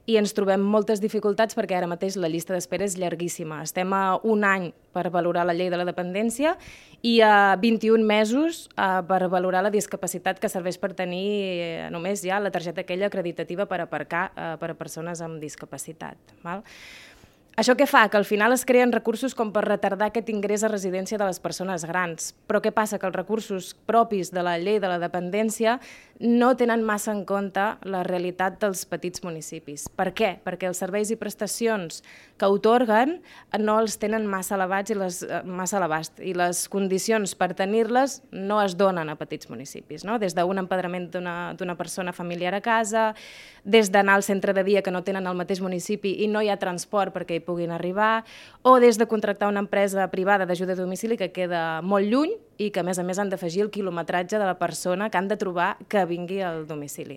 i ens trobem moltes dificultats perquè ara mateix la llista d'espera és llarguíssima. Estem a un any per valorar la llei de la dependència i a 21 mesos per valorar la discapacitat que serveix per tenir només ja la targeta aquella acreditativa per aparcar per a persones amb discapacitat. Val? Això què fa? Que al final es creen recursos com per retardar aquest ingrés a residència de les persones grans. Però què passa? Que els recursos propis de la llei de la dependència no tenen massa en compte la realitat dels petits municipis. Per què? Perquè els serveis i prestacions que atorguen no els tenen massa elevats massa a l'abast i les condicions per tenir-les no es donen a petits municipis, no? Des d'un empadronament d'una persona familiar a casa, des d'anar al centre de dia que no tenen al mateix municipi i no hi ha transport perquè hi puguin arribar, o des de contractar una empresa privada d'ajuda a domicili que queda molt lluny i que a més han d'afegir el quilometratge de la persona que han de trobar que vingui al domicili.